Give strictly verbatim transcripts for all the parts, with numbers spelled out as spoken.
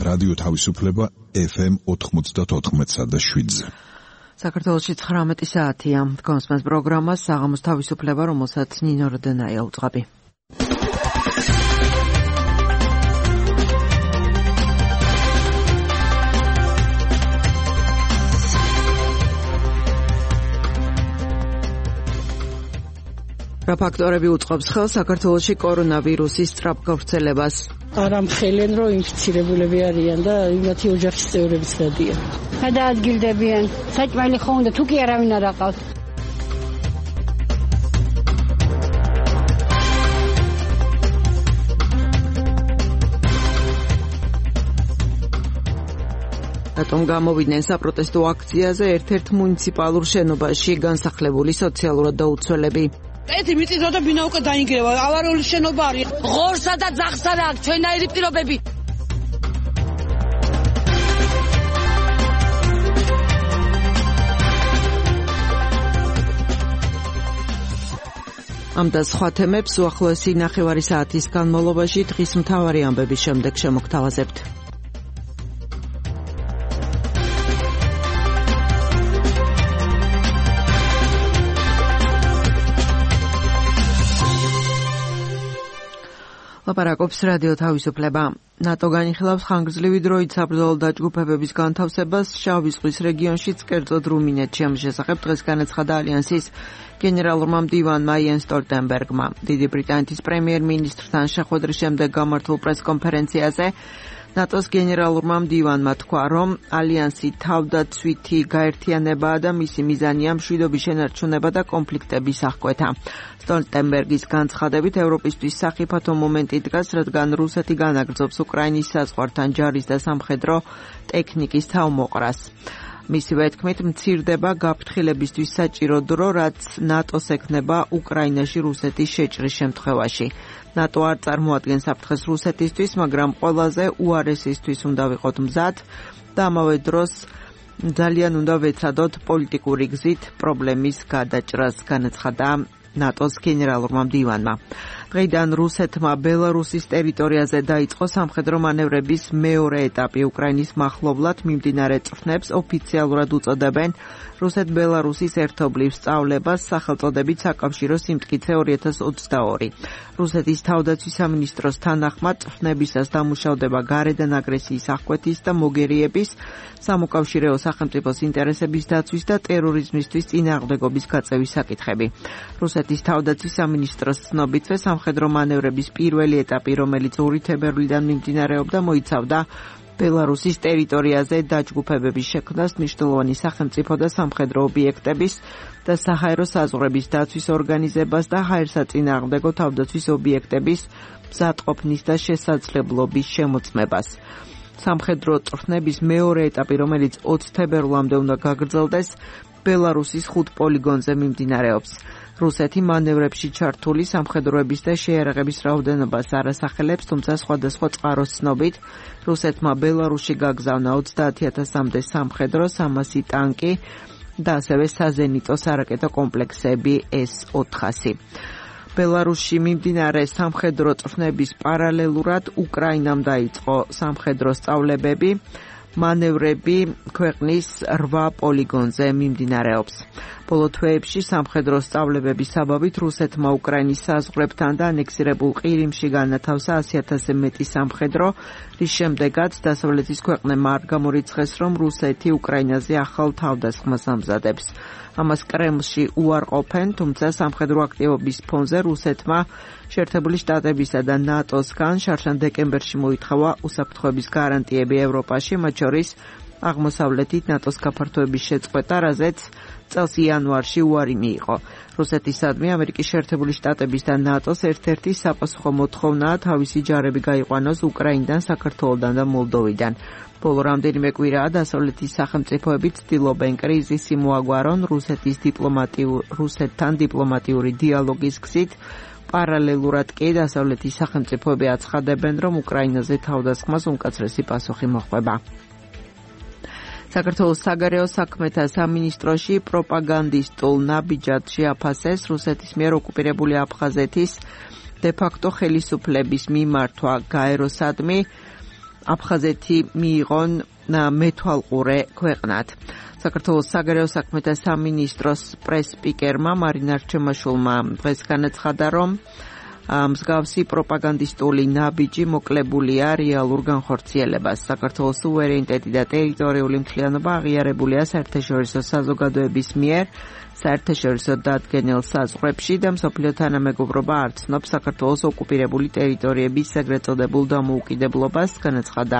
რადიო თავისუფლება ეფ ემ ოთხმოცდაოთხ და შვიდზე. საქართველოში ცხრამეტი საათია. კონსმას პროგრამას საღამოს თავისუფლება, რომელსაც ნინო როდენაია უძღვები. რა ფაქტორები უწყობს ხელს საქართველოში კორონავირუსის სწრაფ გავრცელებას? არა მხელენ რომ ინფიცირებულები არიან და იმათი ოჯახის წევრებიც გადიან. გადაადგილდებიან. საჭმელი ხო უნდა თუ კი არავინ არ აყავთ. რატომ გამოვიდნენ საპროტესტო აქციაზე ერთ-ერთ მუნიციპალურ შენობაში განსახლებული სოციალურად დაუცველები? ეთი მიწისო და ბინა უკვე დაინგრევა, ავარიული შენობა არის. ღორსა და ძაღლსა რა აქვს ჩვენაირი პირობები. ამ და სხვა თემებს უახლოესი ნახევარი საათის განმავლობაში დღის მთავარი ამბების შემდეგ შემოგთავაზებთ. ლაპარაკობს რადიო თავისუფლება. ნატო განიხილავს ხანგრძლივი დროით საბრძოლო დაჯგუფებების განთავსებას შავი ზღვის რეგიონშიც, კერძოდ რუმინეთში. ამ შესახებ დღეს განაცხადა ალიანსის გენერალურმა მდივანმა იენს სტოლტენბერგმა. დიდი ბრიტანეთის პრემიერ-მინისტრთან შეხვედრის შემდეგ გამართულ პრესკონფერენციაზე ნატოს გენერალურმა მდივანმა თქვა, რომ ალიანსი თავდაცვითი გაერთიანებაა და მისი მიზანია მშვიდობის შენარჩუნება და კონფლიქტების აღკვეთა. სტოლტენბერგის განცხადებით ევროპისთვის სახიფათო მომენტი დგას, რადგან რუსეთი განაგრძობს უკრაინის საზღვართან ჯარის და სამხედრო ტექნიკის თავმოყრას. მისივე თქმით, მცირდება გაფრთხილებისთვის საჭირო დრო, რაც ნატოს ექნება უკრაინაში რუსეთის შეჭრის შემთხვევაში. ნატო არ წარმოადგენს საფრთხეს რუსეთისთვის, მაგრამ ყველაზე უარესისთვის უნდა ვიყოთ მზად და ამავე დროს ძალიან უნდა ვეცადოთ პოლიტიკური გზით პრობლემის გადაჭრას, განაცხადა ნატოს გენერალურმა მდივანმა. დღეიდან რუსეთმა ბელარუსის ტერიტორიაზე დაიწყო სამხედრო მანევრების მეორე ეტაპი. უკრაინის მახლობლად მიმდინარე წვრთნებს ოფიციალურად უწოდებენ რუსეთ-ბელარუსის ერთობლივ სწავლებას, სახელწოდებით საკავშირო სიმტკიცე ორი ათას ოცდაორი. რუსეთის თავდაცვის სამინისტროს თანახმად წვრთნებისას დამუშავდება გარედან აგრესიის აღკვეთის და მოგერიების, სამოკავშირეო სახელმწიფოს ინტერესების დაცვის და ტერორიზმისთვის წინააღმდეგობის გაწევის საკითხები. რუსეთის თავდაცვის სამინისტროს ცნობითვე სამხედრო მანევრების პირველი ეტაპი, რომელიც ორი თებერვლიდან მიმდინარეობდა, მოიცავდა ბელარუსის ტერიტორიაზე დაჯგუფებების შექმნას, მნიშვნელოვანი სახელმწიფო და სამხედრო ობიექტების და საჰაერო საზღვრების დაცვის ორგანიზებას და ჰაერსაწინააღმდეგო თავდაცვის ობიექტების მზადყოფნის და შესაძლებლობის შემოწმებას. სამხედრო წვრთნების მეორე ეტაპი, რომელიც ოცი თებერვლამდე უნდა გაგრძელდეს, ბელარუსის ხუთ პოლიგონზე მიმდინარეობს. რუსეთი მანევრებში ჩართული სამხედროების და შეიარაღების რაოდენობას არ ასახელებს, თუმცა სხვადასხვა წყაროს ცნობით, რუსეთმა ბელარუსში გაგზავნა ოცდაათი ათასამდე სამხედრო, სამასი ტანკი და ასევე საზენიტო სარაკეტო კომპლექსები ეს ოთხასი. ბელარუსში მიმდინარე სამხედრო წვრთნების პარალელურად უკრაინამ დაიწყო სამხედრო სწავლებები. მანევრები ქვეყნის რვა პოლიგონზე მიმდინარეობს. ბოლო თვეებში სამხედრო სწავლებების საბაბით რუსეთმა უკრაინის საზღვრებთან და ანექსირებულ ყირიმში განათავსა ასი ათასზე მეტი სამხედრო, რის შემდეგაც დასავლეთის ქვეყნებმა არ გამორიცხეს, რომ რუსეთი უკრაინაზე ახალ თავდასხმას ამზადებს. ამას კრემლში უარყოფენ, თუმცა სამხედრო აქტივობის ფონზე რუსეთმა შეერთებული შტატებისა და ნატოსგან შარშან დეკემბერში მოითხოვა უსაფრთხოების გარანტიები ევროპაში, მათ შორის აღმოსავლეთით ნატოს გაფართოების შეწყვეტა, რაზეც წელს იანვარში უარი მიიღო. რუსეთისადმი ამერიკის შეერთებული შტატების და ნატოს ერთ-ერთი საპასუხო მოთხოვნაა თავისი ჯარები გაიყვანოს უკრაინიდან, საქართველოდან და მოლდოვიდან. ბოლო რამდენიმე კვირაა დასავლეთის სახელმწიფოები ცდილობენ კრიზისი მოაგვარონ რუსეთის დიპლომატიურ რუსეთთან დიპლომატიური დიალოგის გზით. პარალელურად კი დასავლეთის სახელმწიფოები აცხადებენ, რომ უკრაინაზე თავდასხმას უმკაცრესი პასუხი მოჰყვება. საქართველოს საგარეო საქმეთა სამინისტროში პროპაგანდისტულ ნაბიჯად შეაფასეს რუსეთის მიერ ოკუპირებული აფხაზეთის დე-ფაქტო ხელისუფლების მიმართვა გაეროსადმი აფხაზეთი მიიღონ მეთვალყურე ქვეყნად. საქართველოს საგარეო საქმეთა სამინისტროს პრეს-სპიკერმა მარინა რჩემაშვილმა დღეს განაცხადა, რომ მსგავსი პროპაგანდისტული ნაბიჯი მოკლებულია რეალურ განხორციელებას. საქართველოს სუვერენიტეტი და ტერიტორიული მთლიანობა აღიარებულია საერთაშორისო საზოგადოების მიერ საერთაშორისო დადგენილ საზღვრებში და მსოფლიო თანამეგობრობა არ ცნობს საქართველოს ოკუპირებული ტერიტორიების ეგრეთ წოდებულ დამოუკიდებლობას, განაცხადა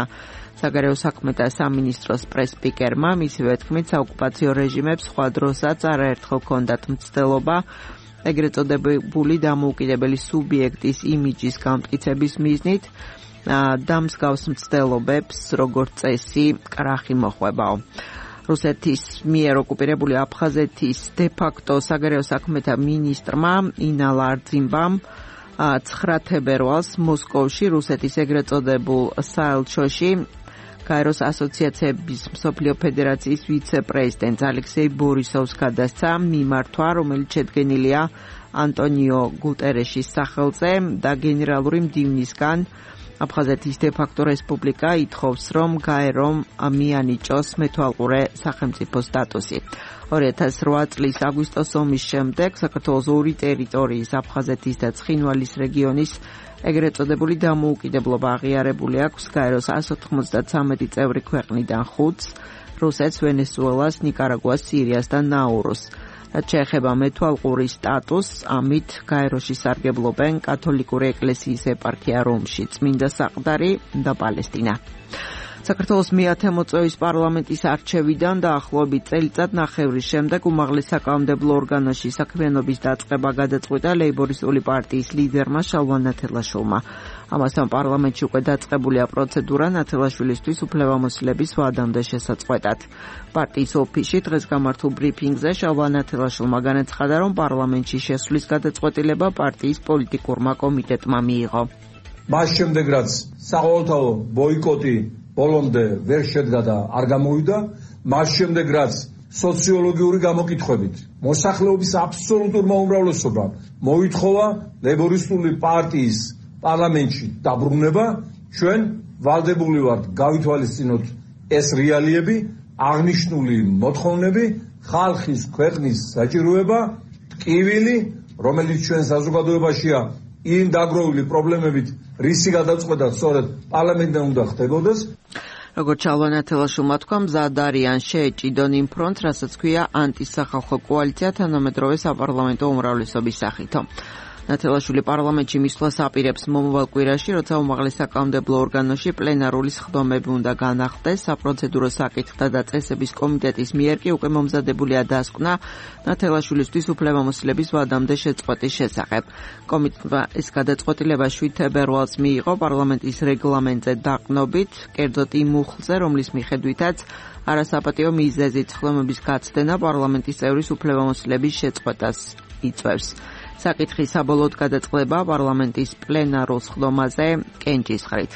საგარეო საქმეთა სამინისტროს პრეს-სპიკერმა. მისივე თქმით, საოკუპაციო რეჟიმებს სხვა დროსაც არაერთხელ ჰქონდათ მცდელობა ეგრეთ წოდებული დამოუკიდებელი სუბიექტის იმიჯის გამტკიცების მიზნით და მსგავს მცდელობებს როგორც წესი კრახი მოხვებაო. რუსეთის მიერ ოკუპირებული აფხაზეთის დე-ფაქტო საგარეო საქმეთა მინისტრმა ინა ლარძიმბამ ცხრა თებერვალს მოსკოვში რუსეთის ეგრეთ წოდებულ საელჩოში გაეროს ასოციაციების მსოფლიო ფედერაციის ვიცე-პრეზიდენტ ალექსეი ბორისოვს გადასცა მიმართვა, რომელიც შედგენილია ანტონიო გუტერეშის სახელზე და გენერალური მდივნისგან აფხაზეთის დე-ფაქტო რესპუბლიკა ითხოვს, რომ გაერომ მიანიჭოს მეთვალყურე სახელმწიფო სტატუსი. ორი ათას რვა წლის აგვისტოს ომის შემდეგ საქართველოს ორი ტერიტორიის აფხაზეთის და ცხინვალის რეგიონის ეგრეთ წოდებული დამოუკიდებლობა აღიარებული აქვს გაეროს εκατს ოთხმოცდათვრამეტი წევრი ქვეყნიდან ხუთს, რუსეთს, ვენესუელას, ნიკარაგუას, სირიას და ნაურუს. რაც შეეხება მეთვალყურის სტატუსს, ამით გაეროში სარგებლობენ კათოლიკური ეკლესიის ეპარქია რომში, წმინდა საყდარი და პალესტინა. საქართველოს მეათე მოწვევის პარლამენტის არჩევიდან დაახლოებით წელიწად ნახევრის შემდეგ უმაღლეს საკანონმდებლო ორგანოში საქმიანობის დაწყება გადაწყვიტა ლეიბორისტული პარტიის ლიდერმა შალვა ნათელაშვილმა. ამასთან პარლამენტში უკვე დაწყებულია პროცედურა ნათელაშვილისთვის უფლებამოსილების ვადამდე შესაწყვეტად. პარტიის ოფისში დღეს გამართულ ბრიფინგზე შალვა ნათელაშვილმა განაცხადა, რომ პარლამენტში შესვლის გადაწყვეტილება პარტიის პოლიტიკურმა კომიტეტმა მიიღო. მას შემდეგ რაც საყოველთაო ბოიკოტი ბოლომდე ვერ შედგა და არ გამოვიდა, მას შემდეგ რაც სოციოლოგიური გამოკითხვებით მოსახლეობის აბსოლუტურმა უმრავლესობამ მოითხოვა ლეიბორისტული პარტიის პარლამენტში დაბრუნება, ჩვენ ვალდებული ვართ გავითვალისწინოთ ეს რეალიები, აღნიშნული მოთხოვნები, ხალხის ქვეყნის საჭიროება, ტკივილი, რომელიც ჩვენ საზოგადოებაშია იმ დაგროვილი პრობლემებით, რისი გადაწყვეტა სწორედ პარლამენტთან უნდა ხდებოდეს. როგორც შალვა ნათელაშვილმა თქვა, მზად არიან შეეჭიდონ იმ ფრონტს, რასაც ქვია ანტისახალხო კოალიცია თანამედროვე საპარლამენტო უმრავლესობის სახითო. ნათელაშვილი პარლამენტში მისვლას აპირებს მომავალ კვირაში, როცა უმაღლეს საკანონმდებლო ორგანოში პლენარული სხდომები უნდა განახდეს. საპროცედურო საკითხთა და წესების კომიტეტის მიერ კი უკვე მომზადებულია დასკვნა ნათელაშვილისთვის უფლებამოსილების ვადამდე შეწყვეტის შესახებ. კომიტეტმა ეს გადაწყვეტილება შვიდ თებერვალს მიიღო პარლამენტის რეგლამენტზე დაყნობით, კერძოდ იმ მუხლზე, რომლის მიხედვითაც არასაპატიო მიზეზით სხდომების გაცდენა პარლამენტის წევრის უფლებამოსილების შეწყვეტას იწვევს. საკითხი საბოლოოდ გადაწყდება პარლამენტის პლენარულ სხდომაზე კენჭისყრით.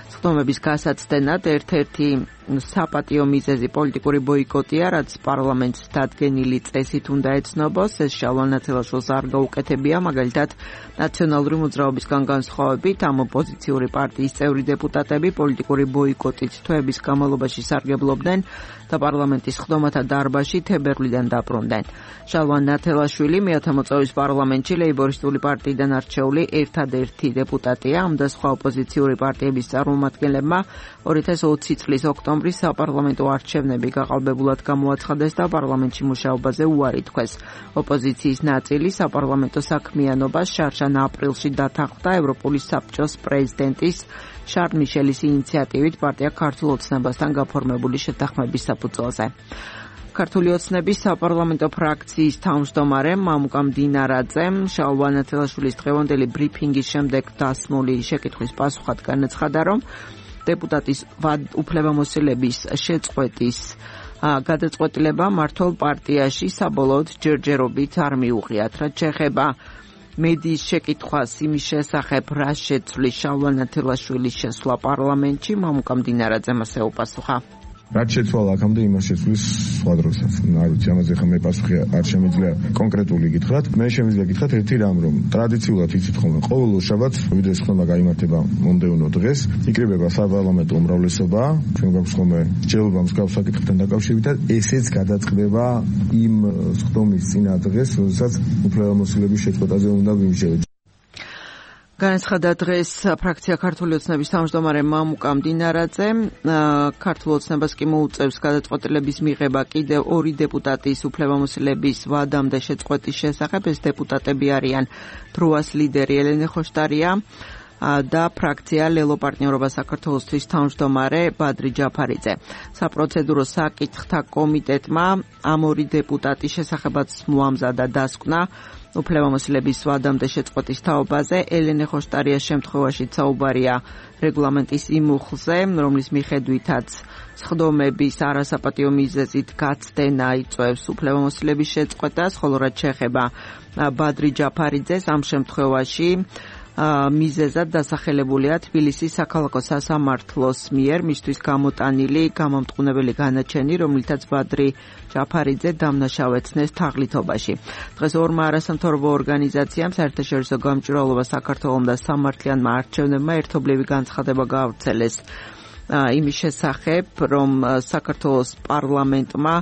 სხდომების გასაცდენად ერთ-ერთი საპატიო მიზეზი პოლიტიკური ბოიკოტია, რაც პარლამენტს დადგენილი წესით უნდა ეცნობოს. ეს შალვა ნათელაშვილს არ გაუკეთებია, მაგალითად ნაციონალური მოძრაობისგან განსხვავებით ამ ოპოზიციური პარტიის წევრი დეპუტატები პოლიტიკური ბოიკოტით თვეების განმავლობაში სარგებლობდნენ და პარლამენტის სხდომათა დარბაზში თებერვლიდან დაბრუნდნენ. შალვა ნათელაშვილი მეათე მოწვევის პარლამენტში ლეიბორისტული პარტიიდან არჩეული ერთადერთი დეპუტატია. ამ და სხვა ოპოზიციური პარტიების წარმომადგენლებმა ორი ათას ოცი წლის ოქტომბრის საპარლამენტო არჩევნები გაყალბებულად გამოაცხადეს და პარლამენტში მუშაობაზე უარი თქვეს. ოპოზიციის ნაწილი საპარლამენტო საქმიანობას შარშან აპრილში დათანხმდა ევროპული საბჭოს პრეზიდენტის შარლ მიშელის ინიციატივით პარტია ქართულ ოცნებასთან გაფორმებული შეთანხმების საფუძველზე. ქართული ოცნების საპარლამენტო ფრაქციის თავმჯდომარე მამუკა მდინარაძემ შალვა ნათელაშვილის დღევანდელი ბრიფინგის შემდეგ დასმული შეკითხვის პასუხად განაცხადა, რომ დეპუტატის უფლებამოსილების შეწყვეტის გადაწყვეტილება მართლ პარტიაში საბოლოოდ ჯერჯერობით არ მიუღიათ. რაც შეეხება მედიის შეკითხვას იმის შესახებ, რა შეცვლის შალვა ნათელაშვილის შესვლა პარლამენტში, მამუკა მდინარაძემ ასე უპასუხა. რაც შეცვალა აქამდე იმას შეცვლის სხვა დროსაც. არ ვიცი, ამაზე ხა მე პასუხი არ შემიძლია კონკრეტული გითხრათ. მე შემიძლია გითხრათ ერთი რამ, რომ ტრადიციულად იცით ხოლმე ყოველ შაბათს ვიდეოს ხმა გაიმართება მომდევნო დღეს, იკრიბება საპარლამენტო უმრავლესობა, ჩვენ გვაქვს ხოლმე სჯელობა მსგავს საკითხებთან დაკავშირებით და ესეც გადაწყდება იმ სხდომის წინა დღეს, როდესაც უფლებამოსილების შეწყვეტაზე უნდა ვიმსჯელოთ. განაცხადა დღეს ფრაქცია ქართული ოცნების თავმჯდომარე მამუკა მდინარაძე. ქართულ ოცნებას კი მოუწევს გადაწყვეტილების მიღება კიდევ ორი დეპუტატის უფლებამოსილების ვადამდე შეწყვეტის შესახებ. ეს დეპუტატები არიან დროას ლიდერი ელენე ხოშტარია და ფრაქცია ლელო პარტნიორობა საქართველოსთვის თავმჯდომარე ბადრი ჯაფარიძე. საპროცედურო საკითხთა კომიტეტმა ამ ორი დეპუტატის შესახებაც მოამზადა დასკვნა უფლებამოსილების ვადამდე შეწყვეტის თაობაზე. ელენე ხოშტარიას შემთხვევაში საუბარია რეგლამენტის იმ უხლზე, რომლის მიხედვითაც სხდომების არასაპატიო მიზეზით გაცდენა იწვევს უფლებამოსილების შეწყვეტას, ხოლო რაც შეეხება ბადრი ჯაფარიძეს, ამ შემთხვევაში მიზეზად დასახელებულია თბილისის საქალაქო სასამართლოს მიერ მისთვის გამოტანილი გამამტყუნებელი განაჩენი, რომლითაც ბადრი ჯაფარიძე დამნაშავეცნეს თაღლითობაში. დღეს ორმა არასამთავრობო ორგანიზაციამ საერთაშორისო გამჭვირვალობა საქართველოს და სამართლიანმა არჩევნებმა ერთობლივი განცხადება გაავრცელეს იმის შესახებ, რომ საქართველოს პარლამენტმა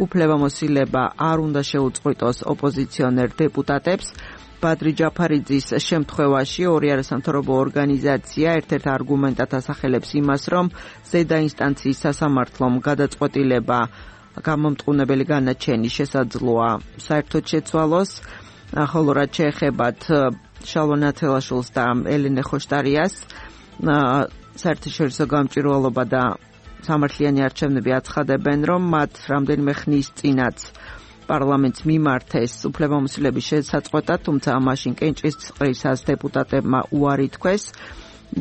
უფლებამოსილება არ უნდა შეუწყვიტოს ოპოზიციონერ დეპუტატებს. ბადრი ჯაფარიძის შემთხვევაში ორი არასამთავრობო ორგანიზაცია ერთ-ერთ არგუმენტად ასახელებს იმას, რომ ზედა ინსტანციის სასამართლომ გადაწყვეტილება გამომტყუნებელი განაჩენი შესაძლოა საერთოდ შეცვალოს, ხოლო რაც შეეხებათ შალვა ნათელაშვილს და ელენე ხოშტარიას, საერთაშორისო გამჭვირვალობა და სამართლიანი არჩევნები აცხადებენ, რომ მათ რამდენიმე ხნის წინაც პარლამენტს მიმართეს უფლებამოსილების შესაწყვეტად, თუმცა მაშინ კენჭისყრისას დეპუტატებმა უარი თქვეს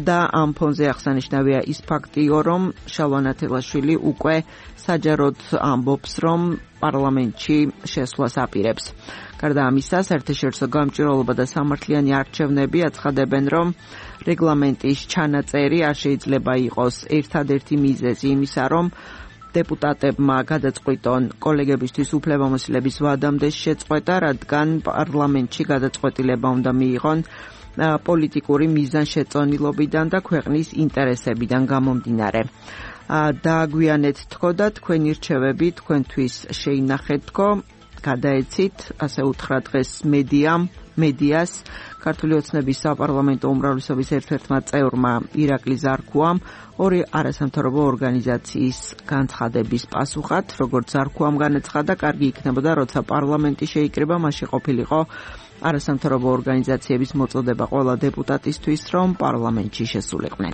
და ამ ფონზე აღსანიშნავია ის ფაქტიო, რომ შალვა ნათელაშვილი უკვე საჯაროდ ამბობს, რომ პარლამენტში შესვლას აპირებს. გარდა ამისა, საერთაშორისო გამჭვირვალობა და სამართლიანი არჩევნები აცხადებენ, რომ რეგლამენტის ჩანაწერი არ შეიძლება იყოს ერთადერთი მიზეზი იმისა, რომ დეპუტატებმა გადაწყვიტონ კოლეგებისთვის უფლებამოსილების ვადამდე შეწყვეტა, რადგან პარლამენტში გადაწყვეტილება უნდა მიიღონ პოლიტიკური მიზანშეწონილობიდან და ქვეყნის ინტერესებიდან გამომდინარე. დააგვიანეთ თქო და თქვენი რჩევები თქვენთვის შეინახეთ თქო, გადაეცით, ასე უთხრა დღეს მედიამ, მედიას, ქართული ოცნების საპარლამენტო უმრავლესობის ერთ-ერთმა წევრმა ირაკლი ზარქუამ ორი არასამთავრობო ორგანიზაციის განცხადების პასუხად, როგორც ზარქუამ განაცხადა, კარგი იქნებოდა, როცა პარლამენტი შეიკრიბა, მაშინ ყოფილიყო არასამთავრობო ორგანიზაციების მოწოდება ყველა დეპუტატისთვის, რომ პარლამენტში შესულიყვნენ.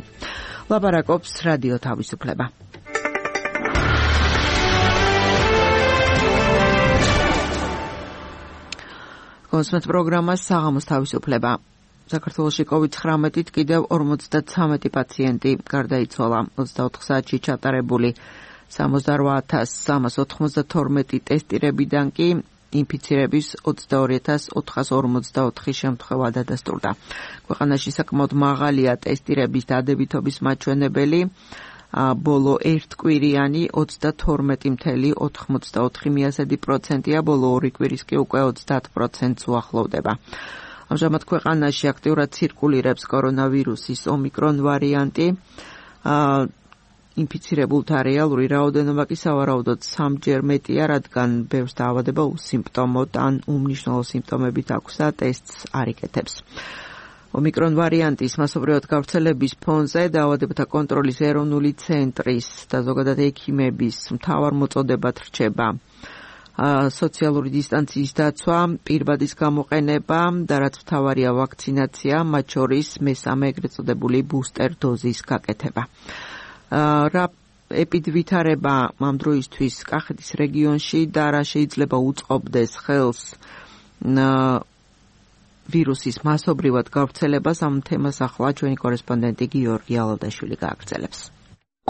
ლაპარაკობს რადიო თავისუფლება. კონსმეთ პროგრამას საღამოს თავისუფლება. საქართველოში კოვიდ ცხრამეტით კიდევ ორმოცდათვრამეტი პაციენტი გარდაიცვალა. ოცდაოთხ საათში ჩატარებული სამოცდარვა ათას სამას ოთხმოცდათორმეტი ტესტირებიდან კი ინფიცირების ოცდაორი ათას ოთხას ორმოცდაოთხი შემთხვევა დადასტურდა. ქვეყანაში საკმაოდ მაღალია ტესტირების დადებითობის მაჩვენებელი. ბოლო ერთკვირიანი ოცდათორმეტი წელი ოთხმოცდაოთხი პროცენტია, ბოლო ორი კვირის კი უკვე ოცდაათ პროცენტს უახლოვდება. ამჟამად ქვეყანაში აქტიურად ცირკულირებს კორონავირუსის ომიკრონ ვარიანტი. ინფიცირებულთა რეალური რაოდენობა კი სავარაუდოდ სამჯერ მეტია, რადგან ბევრს დაავადება უსიმპტომოდ ან უმნიშვნელო სიმპტომებით აქვს და ტესტს არ იკეთებს. ომიკრონ ვარიანტის მასობრივად გავრცელების ფონზე დაავადებათა კონტროლის ეროვნული ცენტრის და ზოგადად ექიმების მთავარ მოწოდებად რჩება სოციალური დისტანციის დაცვა, პირბადის გამოყენება და რაც მთავარია ვაქცინაცია, მათ შორის მესამე ეგრეთ წოდებული ბუსტერ დოზის გაკეთება. რა ეპიდვითარება ამ დროისთვის კახეთის რეგიონში და რა შეიძლება უწყობდეს ხელს ვირუსის მასობრივად გავრცელებას, ამ თემას ახლა ჩვენი კორესპონდენტი გიორგი ალოდაშვილი გააგრძელებს.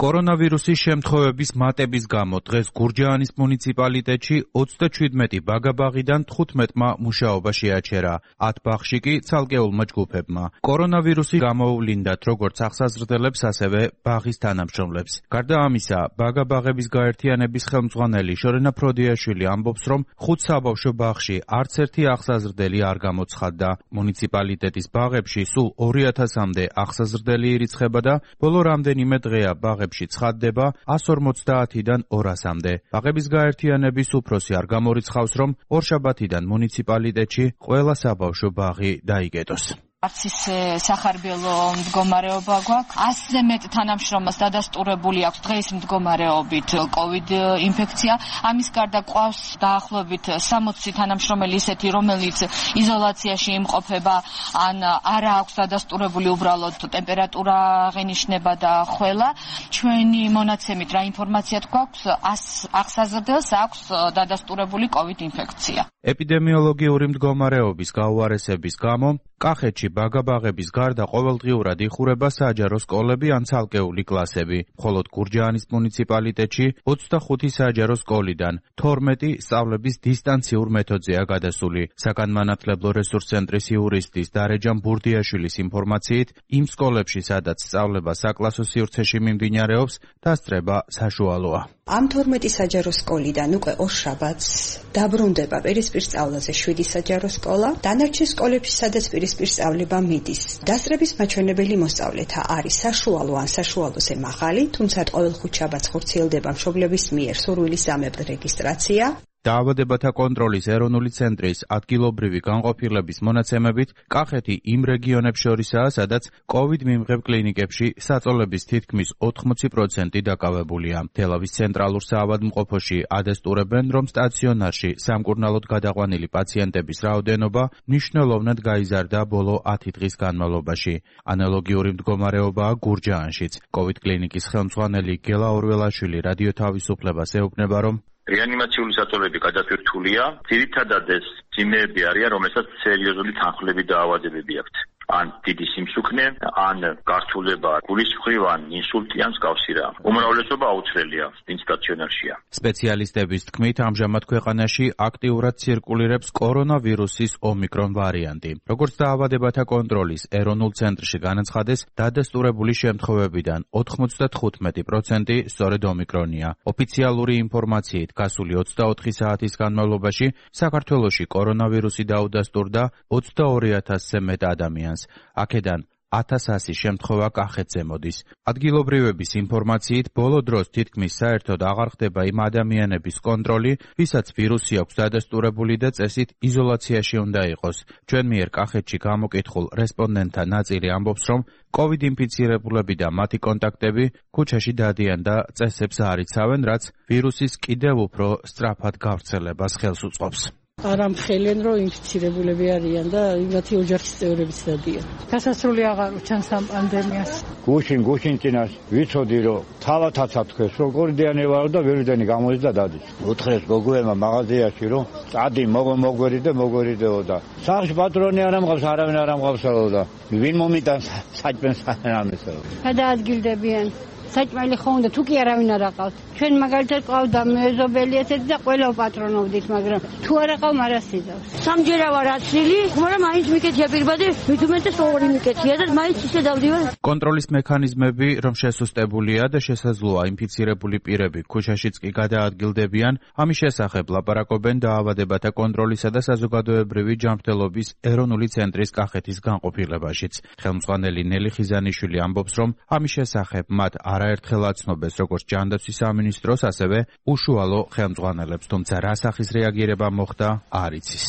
კორონავირუსის შემთხვევების მატების გამო დღეს გურჯაანის მუნიციპალიტეტში ოცდაჩვიდმეტი ბაგაბაღიდან თხუთმეტმა მუშაობა შეაჩერა, ათ ბაღში კი ცალკეულმა ჯგუფებმა. კორონავირუსი გამოუვლინდათ როგორც აღსაზრდელებს, ასევე ბაღის თანამშრომლებს. გარდა ამისა, ბაგაბაღების გაერთიანების ხელმძღვანელი შორენა ფროდიაშვილი ამბობს, რომ ხუთ საბავშვო ბაღში არც ერთი აღსაზრდელი არ გამოცხადდა. მუნიციპალიტეტის ბაღებში სულ ორი ათასამდე აღსაზრდელი ირიცხება და ბოლო რამდენიმე დღეა ბაღებში ცხადდება ას ორმოცდაათიდან ორასამდე. ბაღების გაერთიანების უფროსი არ გამორიცხავს, რომ ორშაბათიდან მუნიციპალიტეტში ყველა საბავშვო ბაღი დაიკეტოს. არც ისე სახარბიელო მდგომარეობა გვაქვს. ასზე მეტ თანამშრომელს დადასტურებული აქვს დღეის მდგომარეობით კოვიდ ინფექცია. ამის გარდა ყავს დაახლოებით სამოცი თანამშრომელი ისეთი, რომელიც იზოლაციაში იმყოფება, ან არა აქვს დადასტურებული უბრალოდ ტემპერატურა აღინიშნება და ხველა. ჩვენი მონაცემით რა ინფორმაციად გვაქვს, ას აღსაზრდელს აქვს დადასტურებული კოვიდ ინფექცია. ეპიდემიოლოგიური მდგომარეობის გაუარესების გამო კახეთში ბაგაბაღების გარდა ყოველდღიურად იხურება საჯარო სკოლები ან ცალკეული კლასები. მხოლოდ გურჯაანის მუნიციპალიტეტში ოცდახუთი საჯარო სკოლიდან თორმეტი სწავლების დისტანციურ მეთოდზეა გადასული. საგანმანათლებლო რესურს ცენტრის იურისტის დარეჯან ბურდიაშვილის ინფორმაციით, იმ სკოლებში, სადაც სწავლება საკლასო სივრცეში მიმდინარეობს, დასწრება საშუალოა. ამ თორმეტი საჯარო სკოლიდან უკვე ორშაბათს დაბრუნდება პირისპირ სწავლაზე შვიდი საჯარო სკოლა. დანარჩენ სკოლებში, სადაც პირისპირ სწავლება მიდის, დასწრების მაჩვენებელი მოსწავლეთა არის საშუალო ან საშუალოზე მაღალი, თუმცა ყოველ ხუთშაბათს ხორციელდება მშობლების მიერ სურვილისამებრ რეგისტრაცია. დაავადებათა კონტროლის ეროვნული ცენტრის ადგილობრივი განყოფილების მონაცემებით, კახეთი იმ რეგიონებს შორისაა, სადაც კოვიდ მიმღებ კლინიკებში საწოლების თითქმის ოთხმოცი პროცენტი დაკავებულია. თელავის ცენტრალურ საავადმყოფოში ადასტურებენ, რომ სტაციონარში სამკურნალოდ გადაყვანილი პაციენტების რაოდენობა მნიშვნელოვნად გაიზარდა ბოლო ათი დღის განმავლობაში. ანალოგიური მდგომარეობაა გურჯაანშიც. კოვიდ კლინიკის ხელმძღვანელი გელა ორველაშვილი რადიო თავისუფლებას ეუბნება, რომ რეანიმაციული საწოლები გადატვირთულია, ძირითადად ეს ძიმეები არიან, რომელსაც სერიოზული თანხლები დაავადებები აქვთ. ან დიდი სიმსუქნე, ან გართულება გულის მხრივ, ან ინსულტი, ან მსგავსი რა. უმრავლესობა აუცვლელია, ვინც სტაციონარშია. სპეციალისტების თქმით, ამჟამად ქვეყანაში აქტიურად ცირკულირებს კორონავირუსის ომიკრონ ვარიანტი. როგორც დაავადებათა კონტროლის ეროვნულ ცენტრში განაცხადეს, დადასტურებული შემთხვევებიდან ოთხმოცდათხუთმეტი პროცენტი სწორედ ომიკრონია. ოფიციალური ინფორმაციით, გასული ოცდაოთხი საათის განმავლობაში საქართველოში კორონავირუსი დაუდასტურდა ოცდაორი ათასზე მეტ ადამიანს. აქედან ათას ასი შემთხვევა კახეთზე მოდის. ადგილობრივების ინფორმაციით, ბოლო დროს თითქმის საერთოდ აღარ ხდება იმ ადამიანების კონტროლი, ვისაც ვირუსი აქვს დადასტურებული და წესით იზოლაციაში უნდა იყოს. ჩვენ მიერ კახეთში გამოკითხულ რესპონდენტთა ნაწილი ამბობს, რომ კოვიდ ინფიცირებულები და მათი კონტაქტები ქუჩაში დადიან და წესებს არ იცავენ, რაც ვირუსის კიდევ უფრო სწრაფად გავრცელებას ხელს უწყობს. არ ამხელენ, რომ ინფიცირებულები არიან და იმათი ოჯახის წევრებიც დადიან. გასასრული აღარ უჩანს ამ პანდემიას. გუშინ გუშინ წინას ვიცოდი, რომ თავათაც ათქვეს, რომ კორდიანი ვარო და ვერიდანი გამოდის და დადის. უთხრეს გოგოებმა მაღაზიაში, რომ წადი მოგვერიდე, მოგვერიდეო და სახში პატრონი არ ამღავს, არავინ არ ამღავსაო და ვინ მომიტანს საჭმელს ამესაო. გადაადგილდებიან. საჭმელი ხო უნდა, თუ კი არავინ არ აყავთ. ჩვენ მაგალითად ყავდა მეზობელი ესეთი და ყველა პატრონოვდით, მაგრამ თუ არ აყავ მარასიდავს. სამჯერა ვარ აცლილი, მაგრამ მაინც მიკეთია პირბადე, მით უმეტეს ორი მიკეთია და მაინც ისე დავდივარ. კონტროლის მექანიზმები, რომ შესუსტებულია და შესაძლოა ინფიცირებული პირები ქუჩაშიც კი გადაადგილდებიან, ამის შესახებ ლაპარაკობენ დაავადებათა კონტროლისა და საზოგადოებრივი ჯანმრთელობის ეროვნული ცენტრის კახეთის განყოფილებაშიც. ხელმძღვანელი ნელი ხიზანიშვილი ამბობს, რომ ამის შესახებ მათ არაერთხელ აცნობეს როგორც ჯანდაცვის სამინისტროს, ასევე უშუალო ხელმძღვანელებს, თუმცა რა სახის რეაგირება მოხდა, არ იცის.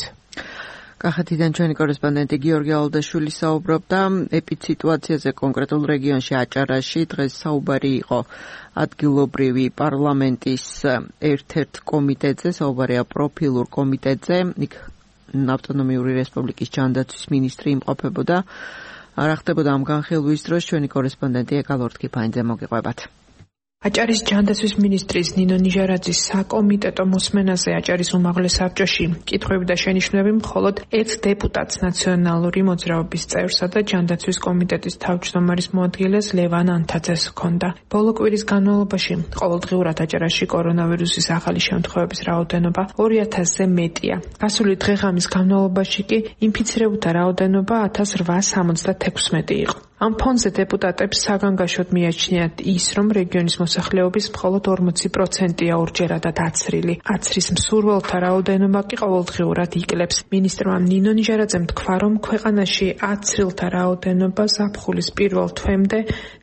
კახეთიდან ჩვენი კორესპონდენტი გიორგი ალდაშვილი საუბრობდა ეპიდსიტუაციაზე კონკრეტულ რეგიონში აჭარაში. დღეს საუბარი იყო ადგილობრივი პარლამენტის ერთ-ერთ კომიტეტზე, საუბარია პროფილურ კომიტეტზე. იქ ავტონომიური რესპუბლიკის ჯანდაცვის მინისტრი იმყოფებოდა. რა ხდებოდა ამ განხილვის დროს, ჩვენი კორესპონდენტი ეკალორდ კიფაინძე მოგიყვებათ. აჭარის ჯანდაცვის მინისტრის ნინო ნიჟარაძის საკომიტეტო მოსმენაზე აჭარის უმაღლეს საბჭოში კითხვები და შენიშვნები მხოლოდ ერთ დეპუტატს ნაციონალური მოძრაობის წევრსა და ჯანდაცვის კომიტეტის თავმჯდომარის მოადგილეს ლევან ანთაძეს ჰქონდა. ბოლო კვირის განმავლობაში ყოველდღიურად აჭარაში კორონავირუსის ახალი შემთხვევების რაოდენობა ორი ათასზე მეტია. გასული დღე-ღამის განმავლობაში კი ინფიცირებულთა რაოდენობა ათას რვაას ორმოცდათექვსმეტი იყო. ამ ფონზე დეპუტატებს საგანგაშოდ მიაჩნიათ ის, რომ რეგიონის მოსახლეობის მხოლოდ ორმოცი პროცენტია ორჯერადად აცრილი. აცრის მსურველთა რაოდენობა კი ყოველდღიურად იკლებს. მინისტრმა ნინო ნიჟარაძემ თქვა, რომ ქვეყანაში აცრილთა რაოდენობა ზაფხულის პირველ თვემდე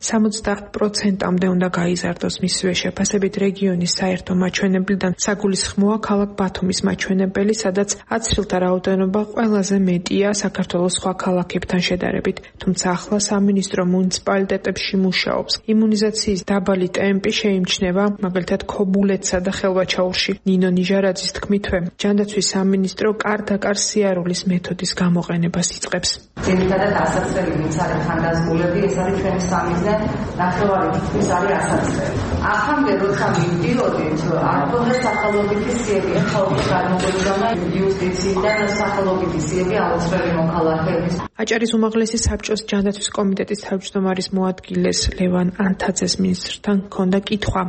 სამოცდაათ პროცენტამდე უნდა გაიზარდოს. მისივე შეფასებით რეგიონის საერთო მაჩვენებლიდან საგულისხმოა ქალაქ ბათუმის მაჩვენებელი, სადაც აცრილთა რაოდენობა ყველაზე მეტია საქართველოს სხვა ქალაქებთან შედარებით. თუმცა ახლა სამინისტრო მუნიციპალიტეტებში მუშაობს. იმუნიზაციის დაბალი ტემპი შეიმჩნევა მაგალითად ქობულეთსა და ხელვაჩაურში. ნინო ნიჟარაძის თქმითვე, ჯანდაცვის სამინისტრო კარ-დაკარ სიარულის მეთოდის გამოყენებას იწყებს. ძირითადად ასაცრელი ვინც არის ხანდაზმულები, ეს არის ჩვენი სამიზნე, ნახევარი თითქმის არის ასაცრელი. ახამდე როცა მივდიოდით, არ ქონდა სახელობითი სიები, ხალხი გადმოგედგანა იუსტიციიდან სახელობითი სიები აუცილებელი მოქალაქეების. აჭარის უმაღლესი საბჭოს ჯანდაცვის კომიტეტის თავმჯდომარის მოადგილეს ლევან ანთაძეს მინისტრთან ჰქონდა კითხვა.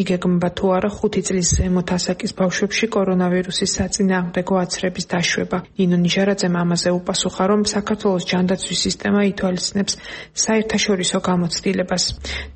იგეგმება თუ არა ხუთი წლის ზემოთ ასაკის ბავშვებში კორონავირუსის საწინააღმდეგო აცრების დაშვება. ნინო ნიჟარაძემ ამაზე უპასუხა, რომ საქართველოს ჯანდაცვის სისტემა ითვალისწინებს საერთაშორისო გამოცდილებას.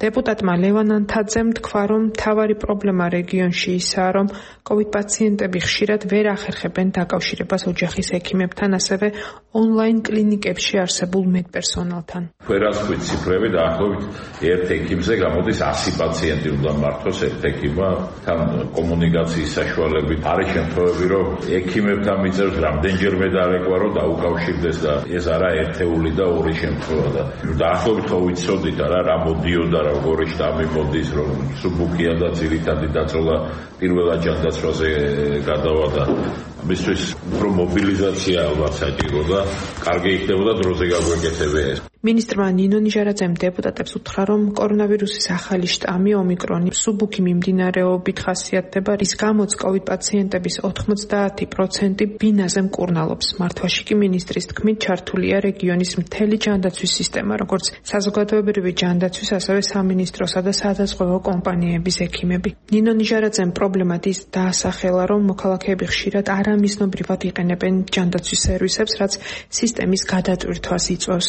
დეპუტატმა ლევან ანთაძემ თქვა, რომ მთავარი პრობლემა რეგიონში ისაა, რომ კოვიდ პაციენტები ხშირად ვერ ახერხებენ დაკავშირებას ოჯახის ექიმებთან, ასევე ონლაინ კლინიკებში არსებულ მედპერსონალთან. ვერასხვით ციფრები დაახლოებით ერთ ექიმზე გამოდის ასი პაციენტი უნდა მართოს ერთ ექიმმა, თან კომუნიკაციის საშუალებით არის შემთხვევები, რომ ექიმებთან მიწევს რამდენჯერმე დარეკვა, რომ დაუკავშირდეს და ეს არა ერთეული და ორი შემთხვევა და დაახლოებით ხო ვიცოდით არა რა მოდიოდა, როგორი შტამი მოდის, რომ სუბუქია და ძირითადი დაწოლა პირველად ჯანდაცვაზე გადავადა. მისთვის უფრო მობილიზაცია ალბათ საჭირო და კარგი იქნებოდა დროზე გაგვეკეთებია ეს. მინისტრმა ნინო ნიჟარაძემ დეპუტატებს უთხრა, რომ კორონავირუსის ახალი შტამი ომიკრონი სუბუქი მიმდინარეობით ხასიათდება, რის გამოც კოვიდ პაციენტების ოთხმოცდაათი პროცენტი ბინაზე მკურნალობს. მართვაში კი მინისტრის თქმით ჩართულია რეგიონის მთელი ჯანდაცვის სისტემა, როგორც საზოგადოებრივი ჯანდაცვის, ასევე სამინისტროსა და სადაზღვევო კომპანიების ექიმები. ნინო ნიჟარაძემ პრობლემად ის დაასახელა, რომ მოქალაქეები ხშირად არამიზნობრივად იყენებენ ჯანდაცვის სერვისებს, რაც სისტემის გადატვირთვას იწვევს.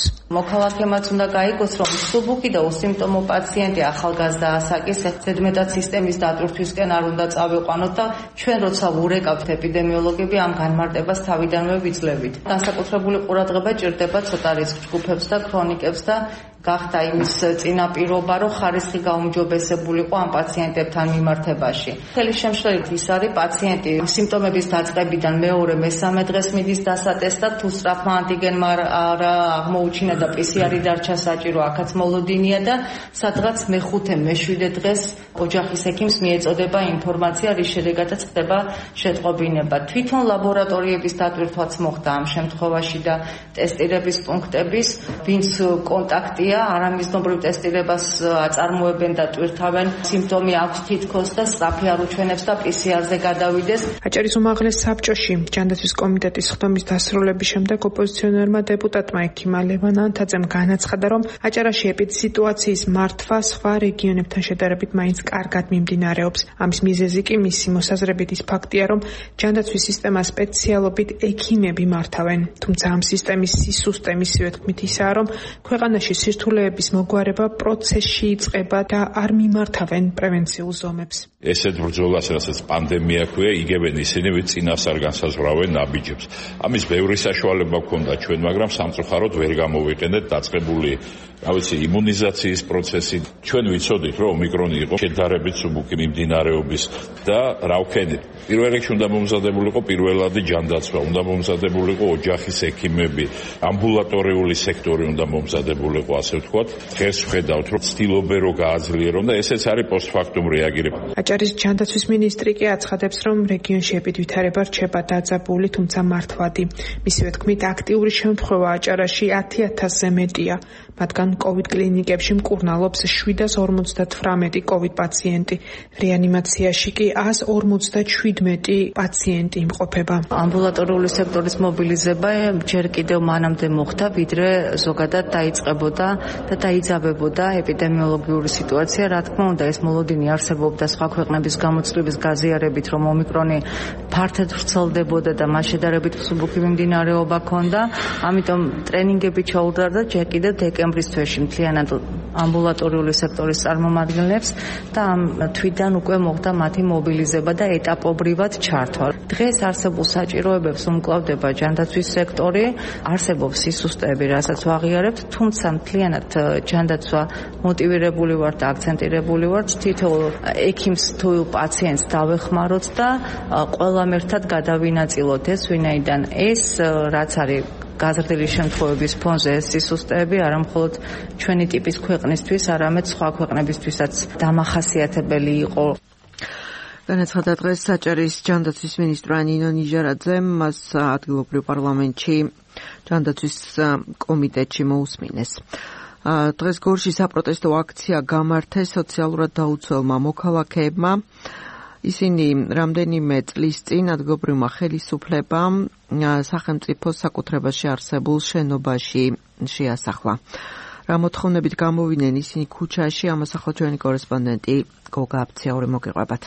მოქალაქემაც უნდა გაიგოს, რომ სუბუქი და უსიმპტომო პაციენტი ახალგაზრდა ასაკის ზედმეტად სისტემის დატვირთვისკენ არ უნდა წავიყვანოთ და ჩვენ როცა ვურეკავთ ეპიდემიოლოგები ამ განმარტებას თავიდანვე ვიძლევით. განსაკუთრებული ყურადღება ჭირდება ცოტა რისკ ჯგუფებს და ქრონიკებს და გახდა იმის წინაპირობა, რომ ხარისხი გაუმჯობესებულიყო ამ პაციენტებთან მიმართებაში. მთელი შემთხვევით ის არის პაციენტი სიმპტომების დაწყებიდან მეორე მესამე დღეს მიდის დასატესტად, თუ სწრაფმა ანტიგენმა არა აღმოუჩინა და პი სი არი დარჩა საჭირო, აქაც მოლოდინია და სადღაც მეხუთე მეშვიდე დღეს ოჯახის ექიმს მიეწოდება ინფორმაცია, რის შედეგადაც ხდება შეტყობინება. თვითონ ლაბორატორიების დატვირთვაც მოხდა ამ შემთხვევაში და ტესტირების პუნქტების, ვინც კონტაქტია არამიზნობრივ ტესტირებას აწარმოებენ და ტვირთავენ, სიმპტომი აქვს თითქოს და სწრაფი არ უჩვენებს და პი სი არზე გადავიდეს. აჭარის უმაღლეს საბჭოში ჯანდაცვის კომიტეტის ხდომის დასრულების შემდეგ ოპოზიციონერმა დეპუტატმა ექიმა ლევან ანთაძემ განაცხადა, რომ აჭარაში ეპიდსიტუაციის მართვა სხვა რეგიონებთან შედარებით მაინც კარგად მიმდინარეობს. ამის მიზეზი კი მისი მოსაზრებით ის ფაქტია, რომ ჯანდაცვის სისტემა სპეციალობით ექიმები მართავენ. თუმცა ამ სისტემის სისუსტე მისივე თქმით ისაა, რომ ქვეყანაში სირთულეების მოგვარება პროცესში იწყება და არ მიმართავენ პრევენციულ ზომებს. ესეთ ბრძოლას, რასაც პანდემია ქვია, იგებენ ისინი, ვინც წინასწარ განსაზღვრავენ ნაბიჯებს. ამის ბევრი საშუალება გქონდა ჩვენ, მაგრამ სამწუხაროდ ვერ გამოვიყენეთ დაწყებული რა ვიცი იმუნიზაციის პროცესი. ჩვენ ვიცოდით, რომ ომიკრონი იყო შედარებით სუბუქი მიმდინარეობის და რა ვქენით. პირველ რიგში უნდა მომზადებულიყო პირველადი ჯანდაცვა, უნდა მომზადებულიყო ოჯახის ექიმები, ამბულატორიული სექტორი უნდა მომზადებულიყო, ასე ვთქვათ. დღეს ვხედავთ, რომ ცდილობენ რომ გააძლიერონ და ესეც არის პოსტფაქტუმ რეაგირება. აჭარის ჯანდაცვის მინისტრი კი აცხადებს, რომ რეგიონში ეპიდვითარება რჩება დაძაბული, თუმცა მართვადი. მისივე თქმით, აქტიური შემთხვევა აჭარაში ათი ათასზე მეტია. მათგან კოვიდ კლინიკებში მკურნალობს შვიდას ორმოცდათვრამეტი კოვიდ პაციენტი. რეანიმაციაში კი ას ორმოცდაჩვიდმეტი პაციენტი იმყოფება. ამბულატორიული სექტორის მობილიზება ჯერ კიდევ მანამდე მოხდა, ვიდრე ზოგადად დაიწყებოდა და დაიძაბებოდა ეპიდემიოლოგიური სიტუაცია. რა თქმა უნდა, ეს მოლოდინი არსებობდა სხვა ქვეყნების გამოწვევის გაზიარებით, რომ ომიკრონი ფართედ ვრცელდებოდა და მას შედარებით მსუბუქი მიმდინარეობა ჰქონდა. ამიტომ ტრენინგები ჩაუტარდა და ჯერ კიდევ დეკემბრის თვეში მთლიანად ამბულატორიული სექტორის წარმომადგენლებს და ამ თვიდან უკვე მოხდა მათი მობილიზება და ეტაპობრივად ჩართვა. დღეს არსებულ საჭიროებებს უმკლავდება ჯანდაცვის სექტორი, არსებობს სისუსტეები, რასაც ვაღიარებთ, თუმცა მთლიანად ჯანდაცვა მოტივირებული ვართ და აქცენტირებული ვართ, თითოეულ ექიმს თუ პაციენტს დავეხმაროთ და ყველამ ერთად გადავინაწილოთ ეს, ვინაიდან ეს რაც არის გაზრდილი შემთხვევების ფონზე ეს სისუსტეები არა მხოლოდ ჩვენი ტიპის ქვეყნისთვის, არამედ სხვა ქვეყნებისთვისაც დამახასიათებელი იყო. განაცხადა დღეს აჭარის ჯანდაცვის მინისტრმა ნინო ნიჟარაძემ, მას ადგილობრივ პარლამენტში ჯანდაცვის კომიტეტში მოусმინეს. დღეს გორში საპროტესტო აქცია გამართეს სოციალურად დაუცველმა მოქალაქეებმა. ისინი რამდენიმე წლის წინ ადგილობრივმა ხელისუფლებამ სახელმწიფოს საკუთრებაში არსებულ შენობაში შეასახლა. რა მოთხოვნებით გამოვიდნენ ისინი ქუჩაში, ამას ახლა ჩვენი კორესპონდენტი გოგა აბციაური მოგიყვებათ.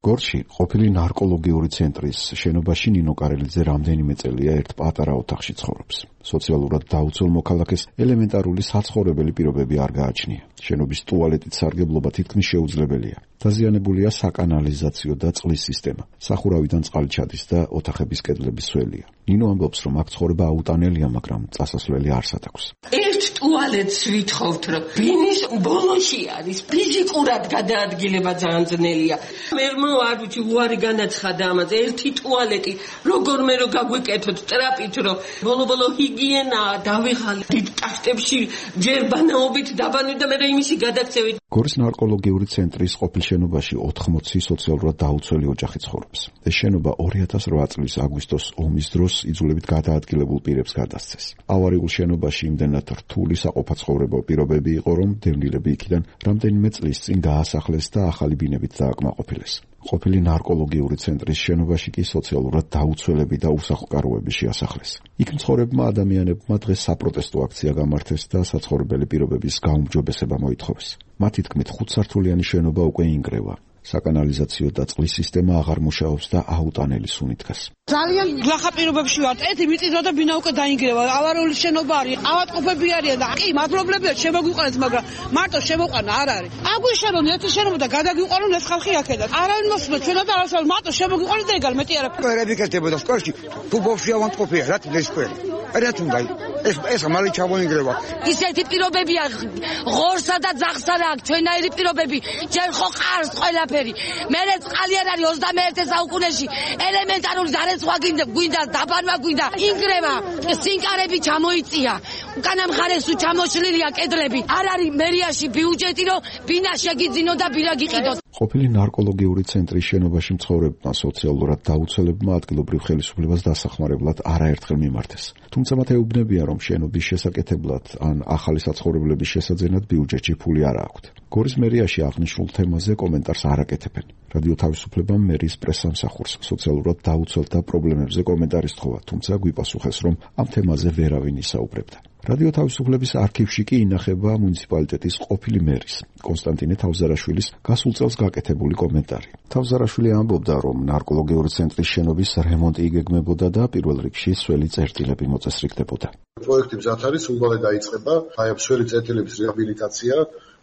გორში ყოფილი ნარკოლოგიური ცენტრის შენობაში ნინო კარელიძე რამდენიმე წელია ერთ პატარა ოთახში ცხოვრობს. სოციალურად დაუცველ მოქალაქეს ელემენტარული საცხოვრებელი პირობები არ გააჩნია. შენობის ტუალეტით სარგებლობა თითქმის შეუძლებელია. დაზიანებულია საკანალიზაციო და წყლის სისტემა. სახურავიდან წყალი ჩადის და ოთახების კედლები სველია. ნინო ამბობს, რომ აქ ცხოვრება აუტანელია, მაგრამ წასასვლელი არსად აქვს. ერთ ტუალეტს ვითხოვთ, რომ ბინის ბოლოში არის, ფიზიკურად გადაადგილება ძალიან ძნელია. მე არ ვიცი, უარი განაცხადა ამაზე, ერთი ტუალეტი, როგორმე რო გაგვიკეთოთ ტრაპით, რომ ბოლო-ბოლო ჰიგიენა დავიღალე დიდ ტახტებში ჯერ ბანაობით დაბანვით და მე იმისი გადაქცევით. გორის ნარკოლოგიური ცენტრის ყოფილ შენობაში ოთხმოცი სოციალურად დაუცველი ოჯახი ცხოვრობს. ეს შენობა ორი ათას რვა წლის აგვისტოს ომის დროს იძულებით გადაადგილებულ პირებს გადასცეს. ავარიულ შენობაში იმდენად რთული საყოფაცხოვრებო პირობები იყო, რომ დევნილები იქიდან რამდენიმე წლის წინ გაასახლეს და ახალი ბინებით დააკმაყოფილეს. ყოფილი ნარკოლოგიური ცენტრის შენობაში კი სოციალურად დაუცველები და უსახლკაროები შეასახლეს. იქ მცხოვრებმა ადამიანებმა დღეს საპროტესტო აქცია გამართეს და საცხოვრებელი პირობების გაუმჯობესება მოითხოვეს. მათი თქმით, ხუთსართულიანი შენობა უკვე ინგრევა. საკანალიზაციო და წყლის სისტემა აღარ მუშაობს და აუტანელი სუნი დგას. ძალიან გლახა პირობებში ვართ. ერთი მიწისძვრა და ბინა უკვე დაინგრევა. ავარიული შენობა არის. ავადმყოფები არიან და კი მადლობლებია შემოგვიყვანეთ, მაგრამ მარტო შემოყვანა არ არის. აგვიშენონ ერთი შენობა და გადაგვიყვანონ ეს ხალხი აქედან. არავინ მოსულა ჩვენა და არასდროს მარტო შემოგვიყვანეთ და ეგარ მეტი არა. ყველები კეთდებოდა სკოლაში. თუ ბავშვი ავადმყოფია, რა თქმა უნდა. რაც უნდა ეს ეს მალე ჩამოინგრევა. ისეთი პირობებია ღორსა და ძაღსა აქვს ჩვენაირი პირობები. ჯერ ხო ყარს ყველაფერი. მერე წყალი არ არის ოცდამეერთე საუკუნეში. ელემენტარული დარეცხვა გვინდა, დაბანვა გვინდა, ინგრევა, სინკარები ჩამოიწია. უკანა მხარეს თუ ჩამოშლილია კედლები. არ არის მერიაში ბიუჯეტი, რომ ბინა შეგიძინო და ბინა გიყიდოთ. ყოფილი ნარკოლოგიური ცენტრის შენობაში მცხოვრებმა სოციალურად დაუცველებმა ადგილობრივ ხელისუფლებას დასახმარებლად არაერთხელ მიმართეს. თუმცა მათ ეუბნებიან, რომ შენობის შესაკეთებლად ან ახალი საცხოვრებლების შესაძენად ბიუჯეტში ფული არ აქვთ. გორის მერიაში აღნიშნულ თემაზე კომენტარს არ აკეთებენ. რადიო თავისუფლებამ მერის პრესსამსახურს სოციალურად დაუცველთა პრობლემებზე კომენტარი სთხოვა, თუმცა გვიპასუხეს, რომ ამ თემაზე ვერავინ ისაუბრებდა. რადიო თავისუფლების არქივში კი ინახება მუნიციპალიტეტის ყოფილი მერის კონსტანტინე თავზარაშვილის გასულ წელს გაკეთებული კომენტარი. თავზარაშვილი ამბობდა, რომ ნარკოლოგიური ცენტრის შენობის რემონტი იგეგმებოდა და პირველ რიგში სველი წერტილები მოწესრიგდებოდა. პროექტი მზად არის, უმალე დაიწყება, აი ამ სველი წერტილების რეაბილიტაცია.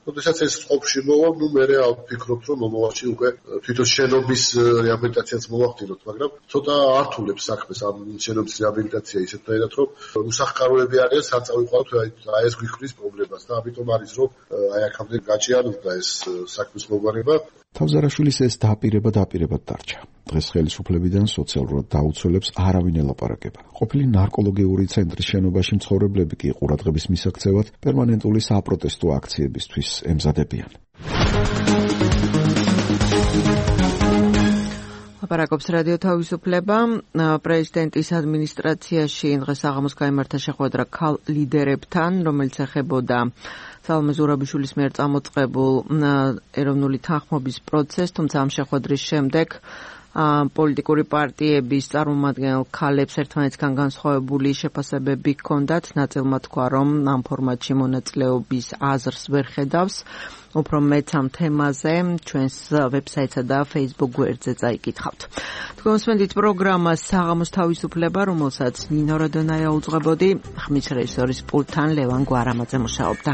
როდესაც ეს წყობში მოვა, ნუ მე ვფიქრობ, რომ მომავალში უკვე თვითონ შენობის რეაბილიტაციაც მოვახდინოთ, მაგრამ ცოტა ართულებს საქმეს ამ შენობის რეაბილიტაცია ისეთნაირად, რომ უსახლკაროები არიან, სად წავიყვანოთ აი ეს გვიხვრის პრობლემას და ამიტომ არის, რომ აი აქამდე გაჭიანურდა ეს საქმის მოგვარება. თავზარაშვილის ეს დაპირება დაპირებად დარჩა. დღეს ხელისუფლებიდან სოციალურად დაუცველებს არავინ ელაპარაკება. ყოფილი ნარკოლოგიური ცენტრის შენობაში მცხოვრებლები კი ყურადღების მისაქცევად პერმანენტული საპროტესტო აქციებისთვის ემზადებიან. ლაპარაკობს რადიო თავისუფლება. პრეზიდენტის ადმინისტრაციაში დღეს საღამოს გაიმართა შეხვედრა ქალ ლიდერებთან, რომელიც ეხებოდა სალომე ზურაბიშვილის მიერ წამოწყებულ ეროვნული თანხმობის პროცესს, თუმცა ამ შეხვედრის შემდეგ პოლიტიკური პარტიების წარმომადგენელ ქალებს ერთმანეთისგან განსხვავებული შეფასებები ჰქონდათ. ნაწილმა თქვა, რომ ამ ფორმატში მონაწილეობის აზრს ვერ ხედავს. უფრო მეც ამ თემაზე ჩვენს ვებსაიტსა და Facebook გვერდზე წაიკითხავთ. თქვენ მოსმენთ პროგრამას საღამოს თავისუფლება, რომელსაც ნინო როდონაია უძღვებოდი, ხმის რეჟისორის პულტთან ლევან გვარამაძე მუშაობდა.